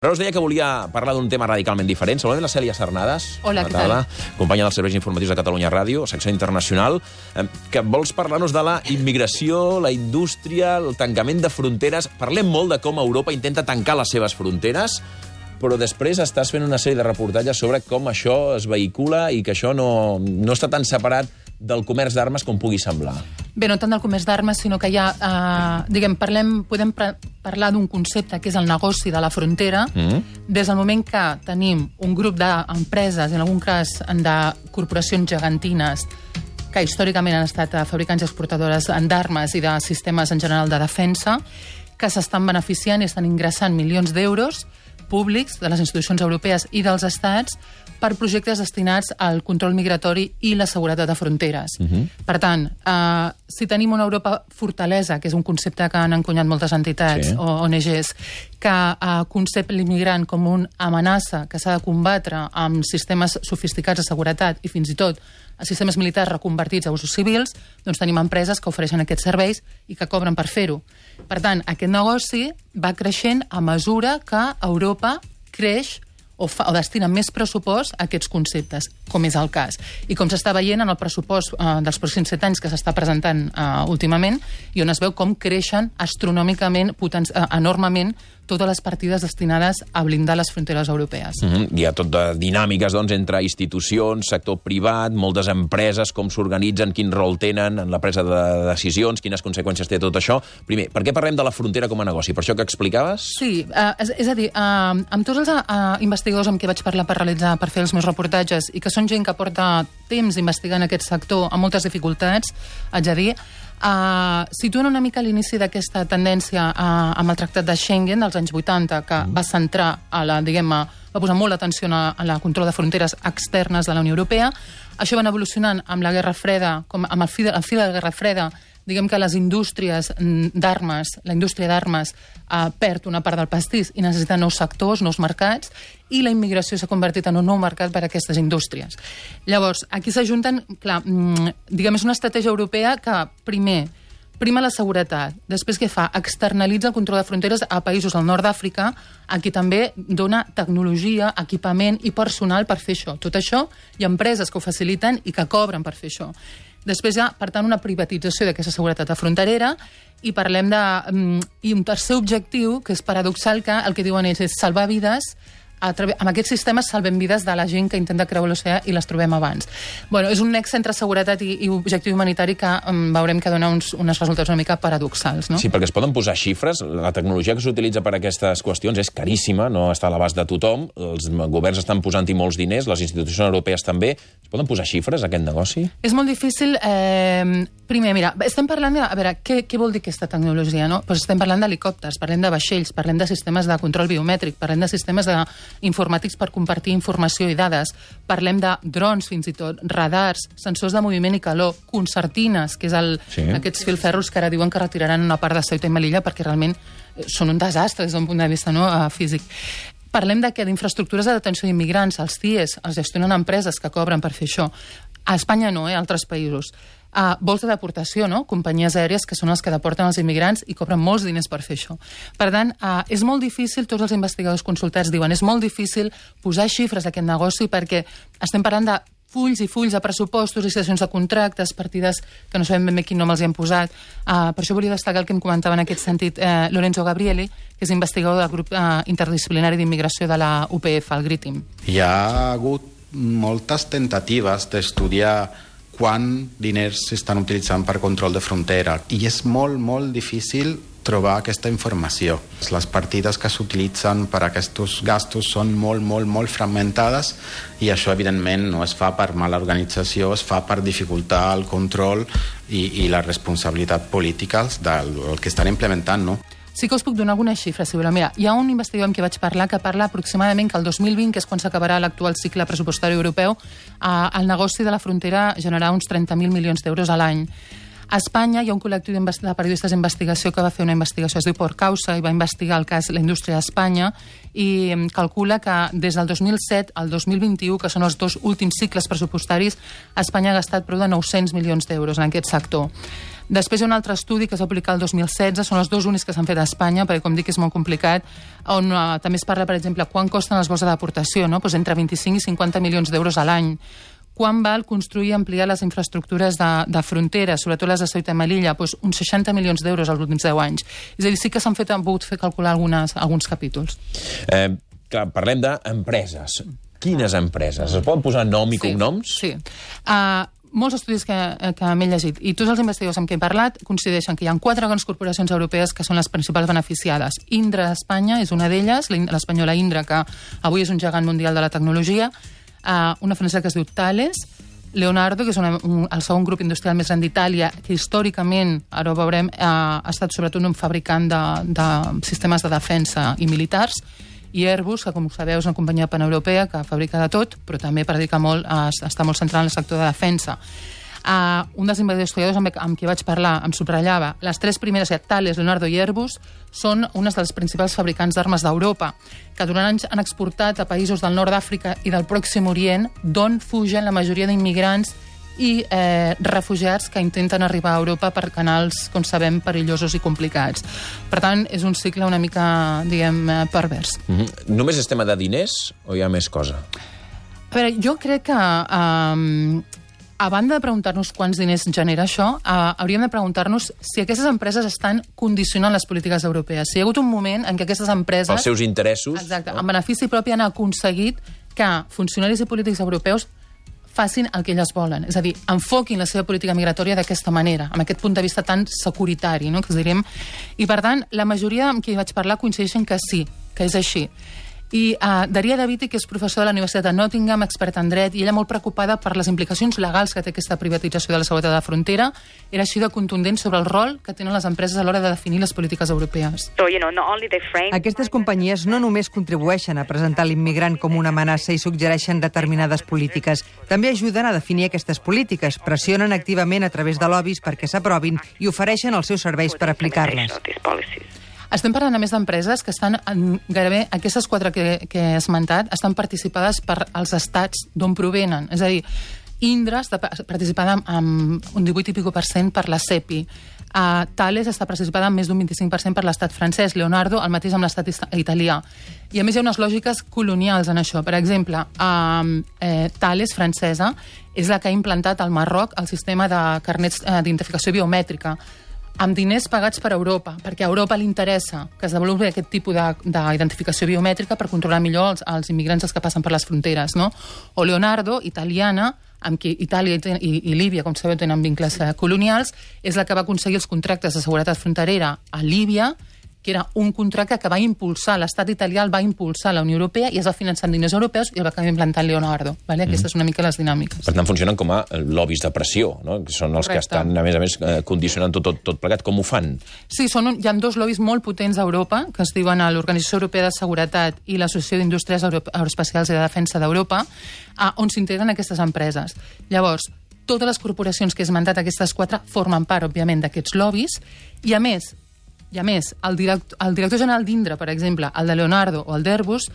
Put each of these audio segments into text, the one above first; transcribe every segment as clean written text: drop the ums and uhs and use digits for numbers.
Però us deia que volia parlar d'un tema radicalment diferent. Saludem la Cèlia Sarnades. Hola, què tal? Companya dels serveis informatius de Catalunya Ràdio, secció internacional, que vols parlar-nos de la immigració, la indústria, el tancament de fronteres. Parlem molt de com Europa intenta tancar les seves fronteres, però després estàs fent una sèrie de reportatges sobre com això es vehicula i que això no està tan separat del comerç d'armes com pugui semblar. Bé, no tant del comerç d'armes, sinó que ja, podem parlar d'un concepte que és el negoci de la frontera, des del moment que tenim un grup d'empreses, en algun cas de corporacions gegantines, que històricament han estat fabricants i exportadores d'armes i de sistemes en general de defensa, que s'estan beneficiant i estan ingressant milions d'euros públics de les institucions europees i dels estats per projectes destinats al control migratori i la seguretat de fronteres. Per tant, si tenim una Europa fortalesa, que és un concepte que han encunyat moltes entitats o ONGs, que concep l'immigrant com una amenaça que s'ha de combatre amb sistemes sofisticats de seguretat i fins i tot a sistemes militars reconvertits a usos civils, doncs tenim empreses que ofereixen aquests serveis i que cobren per fer-ho. Per tant, aquest negoci va creixent a mesura que Europa creix o destina més pressupost a aquests conceptes, com és el cas. I com s'està veient en el pressupost dels pròxims 7 anys que s'està presentant últimament, i on es veu com creixen astronòmicament, enormement, totes les partides destinades a blindar les fronteres europees. Hi ha tot de dinàmiques, doncs, entre institucions, sector privat, moltes empreses, com s'organitzen, quin rol tenen en la presa de decisions, quines conseqüències té tot això. Primer, per què parlem de la frontera com a negoci? Per això que explicaves? Sí, és a dir, amb tots els investigadors amb qui vaig parlar per fer els meus reportatges i que són gent que porta temps investigant aquest sector amb moltes dificultats, haig de dir, situen una mica l'inici d'aquesta tendència amb el Tractat de Schengen dels anys 80, que va centrar, va posar molt d'atenció a la control de fronteres externes de la Unió Europea. Això va anar evolucionant amb la Guerra Freda, amb el fi de la Guerra Freda, diguem que les indústries d'armes, la indústria d'armes perd una part del pastís i necessita nous sectors, nous mercats, i la immigració s'ha convertit en un nou mercat per a aquestes indústries. Llavors, aquí s'ajunten, clar, diguem, és una estratègia europea que, primer, prima la seguretat. Després, què fa? Externalitza el control de fronteres a països al nord d'Àfrica, a qui també dona tecnologia, equipament i personal per fer això. Tot això, hi ha empreses que ho faciliten i que cobren per fer això. Després hi ha, per tant, una privatització d'aquesta seguretat fronterera i parlem i un tercer objectiu, que és paradoxal, que el que diuen ells és salvar vides. Amb aquests sistemes salvem vides de la gent que intenta creuar l'oceà i les trobem abans. Bueno, és un nexe entre seguretat i objectiu humanitari que veurem que dona uns resultats una mica paradoxals, no? Sí, perquè es poden posar xifres. La tecnologia que s'utilitza per a aquestes qüestions és caríssima, no està a l'abast de tothom. Els governs estan posant-hi molts diners, les institucions europees també. Es poden posar xifres a aquest negoci? És molt difícil. Primer, mira, estem parlant de... A veure, què vol dir aquesta tecnologia, no? Pues estem parlant d'helicòpters, parlem de vaixells, parlem de sistemes de control biomètric, parlem de sistemes informàtics per compartir informació i dades. Parlem de drons, fins i tot, radars, sensors de moviment i calor, concertines, que és aquests filferros que ara diuen que retiraran una part de Ceuta i Melilla perquè realment són un desastre des d'un punt de vista físic. Parlem d'infraestructures de detenció d'immigrants, els CIEs, els gestionen empreses que cobren per fer això. A Espanya no, a altres països. Vols de deportació, no? Companyies aèries que són els que deporten els immigrants i cobren molts diners per fer això. Per tant, és molt difícil, tots els investigadors consultats diuen, és molt difícil posar xifres d'aquest negoci perquè estem parlant de fulls i fulls de pressupostos, licitacions de contractes, partides que no sabem ben bé quin nom els hi han posat. Per això volia destacar el que em comentava en aquest sentit Lorenzo Gabrieli, que és investigador del grup interdisciplinari d'immigració de la UPF, el GRITIM. Hi ha hagut moltes tentatives d'estudiar quant diners s'estan utilitzant per control de frontera i és molt, molt difícil trobar aquesta informació. Les partides que s'utilitzen per a aquests gastos són molt, molt, molt fragmentades i això, evidentment, no es fa per mala organització, es fa per dificultar el control i la responsabilitat política del que estan implementant, no? Sí que us puc donar algunes xifres, si voleu. Mira, hi ha un investigador amb qui vaig parlar que parla aproximadament que el 2020, que és quan s'acabarà l'actual cicle pressupostari europeu, el negoci de la frontera generarà uns 30.000 milions d'euros a l'any. A Espanya hi ha un col·lectiu de periodistes d'investigació que va fer una investigació, es diu Por Causa, i va investigar el cas la indústria d'Espanya i calcula que des del 2007 al 2021, que són els 2 últims cicles pressupostaris, Espanya ha gastat prou de 900 milions d'euros en aquest sector. Després hi ha un altre estudi que s'ha publicat el 2016, són els 2 únics que s'han fet a Espanya, perquè com dic és molt complicat, on també es parla, per exemple, quan costen els vols de deportació, no? Pues entre 25 i 50 milions d'euros a l'any. Quan val construir i ampliar les infraestructures de fronteres, sobretot les de Ceuta i Melilla? Pues uns 60 milions d'euros als últims 10 anys. És a dir, sí que s'han pogut fer calcular alguns capítols. Clar, parlem d'empreses. Quines empreses? Es poden posar nom i cognoms? Sí. Molts estudis que m'he llegit i tots els investigadors amb qui he parlat coincideixen que hi ha 4 grans corporacions europees que són les principals beneficiades. Indra d'Espanya és una d'elles, l'espanyola Indra, que avui és un gegant mundial de la tecnologia, una francesa que es diu Thales, Leonardo, que és el segon grup industrial més gran d'Itàlia, que històricament, ara ho veurem, ha estat sobretot un fabricant de sistemes de defensa i militars, i Airbus, que com sabeu és una companyia paneuropea que fabrica de tot, però també predica molt, està molt centrada en el sector de defensa. Un dels investigadors amb qui vaig parlar em subratllava les 3 primeres, Thales, Leonardo i Airbus, són unes dels principals fabricants d'armes d'Europa, que durant anys han exportat a països del nord d'Àfrica i del Pròxim Orient, d'on fugen la majoria d'immigrants i refugiats que intenten arribar a Europa per canals, com sabem, perillosos i complicats. Per tant, és un cicle una mica, diguem, pervers. Només és tema de diners o hi ha més cosa? A veure, jo crec que a banda de preguntar-nos quants diners genera això, hauríem de preguntar-nos si aquestes empreses estan condicionant les polítiques europees. Si hi ha hagut un moment en què aquestes empreses... Pels seus interessos. Exacte, en benefici propi han aconseguit que funcionaris i polítics europeus facin el que elles volen. És a dir, enfoquin la seva política migratòria d'aquesta manera, amb aquest punt de vista tan securitari, no?, que diríem. I, per tant, la majoria amb qui vaig parlar coincideixen que sí, que és així. I Daria Daviti, que és professor de la Universitat de Nottingham, experta en dret, i ella molt preocupada per les implicacions legals que té aquesta privatització de la seguretat de la frontera, era així de contundent sobre el rol que tenen les empreses a l'hora de definir les polítiques europees. Aquestes companyies no només contribueixen a presentar l'immigrant com una amenaça i suggereixen determinades polítiques, també ajuden a definir aquestes polítiques, pressionen activament a través de lobbies perquè s'aprovin i ofereixen els seus serveis per aplicar-les. Estem parlant, a més, d'empreses que estan, gairebé aquestes 4 que he esmentat, estan participades per als estats d'on provenen. És a dir, Indra està participada amb un 18% per la CEPI. Thales està participada amb més d'un 25% per l'estat francès. Leonardo, el mateix amb l'estat italià. I, a més, hi ha unes lògiques colonials en això. Per exemple, Thales, francesa, és la que ha implantat al Marroc el sistema de carnets d'identificació biomètrica, amb diners pagats per Europa, perquè a Europa li interessa que es desenvolupi aquest tipus d'identificació biomètrica per controlar millor els immigrants que passen per les fronteres, no? O Leonardo, italiana, amb qui Itàlia i Líbia, com sabeu, tenen vincles colonials, és la que va aconseguir els contractes de seguretat fronterera a Líbia, que era un contracte que va impulsar, l'estat italià el va impulsar la Unió Europea i es va finançar amb diners europeus i el va acabar implantant Leonardo. Vale? Aquestes són una mica les dinàmiques. Per tant, funcionen com a lobbies de pressió, no? Que són els que estan, a més, condicionant tot plegat. Com ho fan? Sí, hi ha 2 lobbies molt potents a Europa, que es diuen l'Organització Europea de Seguretat i l'Associació d'Indústries Aeroespacials i de Defensa d'Europa, on s'integren aquestes empreses. Llavors, totes les corporacions que he esmentat, aquestes 4, formen part, òbviament, d'aquests lobbies, i a més, el director general d'Indra, per exemple, el de Leonardo o el d'Airbus,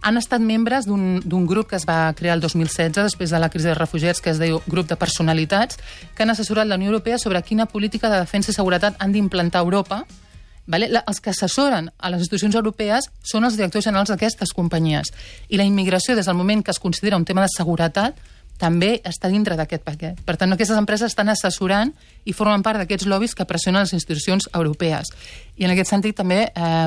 han estat membres d'un grup que es va crear el 2016, després de la crisi dels refugiats, que es diu Grup de Personalitats, que han assessorat la Unió Europea sobre quina política de defensa i seguretat han d'implantar a Europa. Vale? Els que assessoren a les institucions europees són els directors generals d'aquestes companyies. I la immigració, des del moment que es considera un tema de seguretat, també està dintre d'aquest paquet. Per tant, aquestes empreses estan assessorant i formen part d'aquests lobbies que pressionen les institucions europees. I en aquest sentit també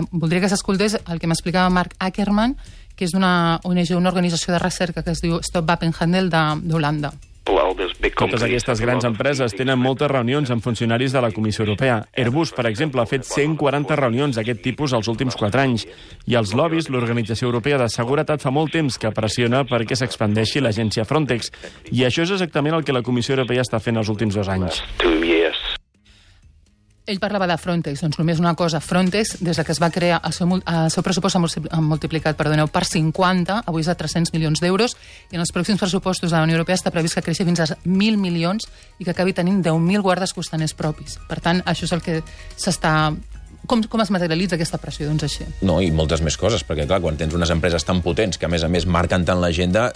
voldria que s'escoltés el que m'explicava Mark Ackerman, que és d'una ONG, una organització de recerca que es diu Stop Wapenhandel d'Holanda. Totes aquestes grans empreses tenen moltes reunions amb funcionaris de la Comissió Europea. Airbus, per exemple, ha fet 140 reunions d'aquest tipus els últims 4 anys. I els lobbies, l'Organització Europea de Seguretat, fa molt temps que pressiona perquè s'expandeixi l'agència Frontex. I això és exactament el que la Comissió Europea està fent els últims 2 anys. Ell parlava de Frontex, doncs només una cosa. Frontex, des que es va crear, el seu pressupost s'ha multiplicat, per 50, avui és de 300 milions d'euros, i en els pròxims pressupostos de la Unió Europea està previst que creixi fins a 1.000 milions i que acabi tenint 10.000 guardes costaners propis. Per tant, això és el que s'està... Com es materialitza aquesta pressió? Doncs així. No, i moltes més coses, perquè clar, quan tens unes empreses tan potents que a més marquen tant l'agenda,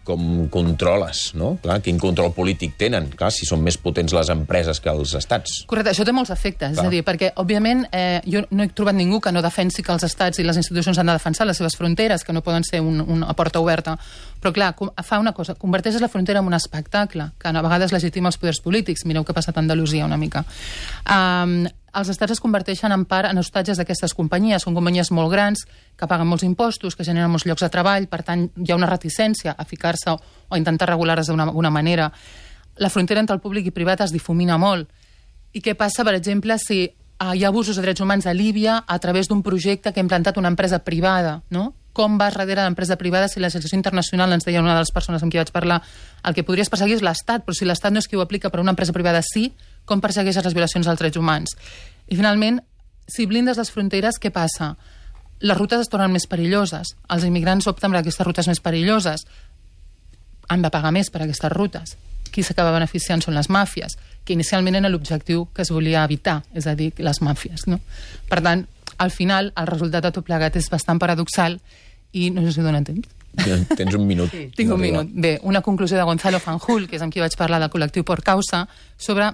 com controles, no? Clar, quin control polític tenen, clar, si són més potents les empreses que els estats. Correcte, això té molts efectes, és a dir, perquè, òbviament, jo no he trobat ningú que no defensi que els estats i les institucions han de defensar les seves fronteres, que no poden ser una porta oberta, però, clar, fa una cosa, converteixes la frontera en un espectacle, que a vegades legitima els poders polítics, mireu què ha passat a Andalusia una mica. Els estats es converteixen en part en hostatges d'aquestes companyies. Són companyies molt grans, que paguen molts impostos, que generen molts llocs de treball, per tant, hi ha una reticència a ficar-se o intentar regular-les d'alguna manera. La frontera entre el públic i privat es difumina molt. I què passa, per exemple, si hi ha abusos de drets humans a Líbia a través d'un projecte que ha implantat una empresa privada, no? Com va darrere l'empresa privada si la legislació internacional, ens deia una de les persones amb qui vaig parlar, el que podries perseguir és l'Estat, però si l'Estat no és qui ho aplica, però una empresa privada sí, com persegueixes les violacions dels drets humans? I finalment, si blindes les fronteres, què passa? Les rutes es tornen més perilloses. Els immigrants opten per aquestes rutes més perilloses. Han de pagar més per aquestes rutes. Qui s'acaba beneficiant són les màfies, que inicialment era l'objectiu que es volia evitar, és a dir, les màfies, no? Per tant, al final, el resultat de tot plegat és bastant paradoxal i no sé si dona temps. Tens un minut. Sí. Tinc un minut. Bé, una conclusió de Gonzalo Fanjul, que és amb qui vaig parlar del col·lectiu Por Causa, sobre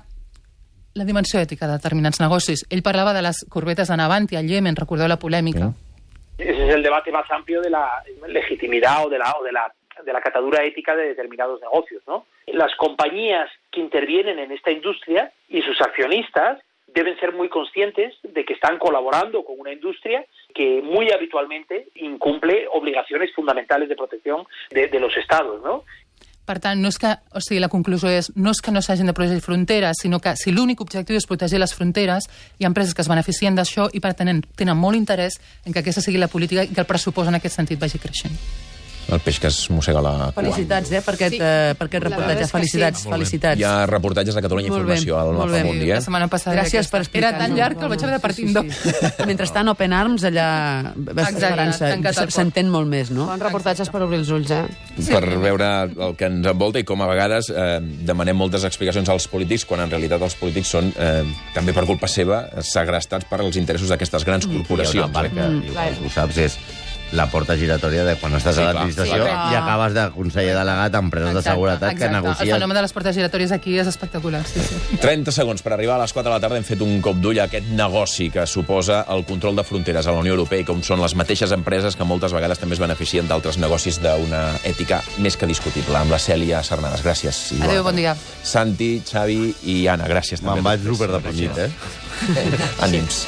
la dimensió ètica de determinats negocis. Ell parlava de les corbetes de Navantia al Yemen, recordeu la polèmica? Ese es el debate más amplio de la legitimidad o de la catadura ética de determinados negocios, ¿no? Las compañías que intervienen en esta industria y sus accionistas deben ser muy conscientes de que están colaborando con una industria que muy habitualmente incumple obligaciones fundamentales de protección de los estados, ¿no? Per tant, no és que, o sigui, la conclusió és no és que no s'hagin de protegir fronteres, sinó que si l'únic objectiu és protegir les fronteres, hi ha empreses que es beneficien d'això i per tant tenen molt interès en que aquesta sigui la política i que el pressupost en aquest sentit vagi creixent. El peix que es mossega la cua. Felicitats, per aquest reportatge. Felicitats, felicitats. Hi ha reportatges de Catalunya Informació al Mapa Mundi. La setmana passada gràcies per explicar-nos. Era tan llarg que el vaig haver de partir en dos. Mentrestant, Open Arms, allà s'entén molt més, no? Bons reportatges per obrir els ulls, Per veure el que ens envolta i com a vegades demanem moltes explicacions als polítics quan en realitat els polítics són, també per culpa seva, segrestats per als interessos d'aquestes grans corporacions. Hi ha una part que, igual, ho saps, és la porta giratòria de quan estàs a l'administració i acabes de conseller delegat a empreses de seguretat que negocies... El fenomen de les portes giratòries aquí és espectacular. Sí. 30 segons per arribar a les 4 de la tarda. Hem fet un cop d'ull a aquest negoci que suposa el control de fronteres a la Unió Europea i com són les mateixes empreses que moltes vegades també es beneficien d'altres negocis d'una ètica més que discutible. Amb la Cèlia Sarnadas. Gràcies. Adéu, bon dia. Santi, Xavi i Anna, gràcies. Me'n vaig superdeprimit, Ànims.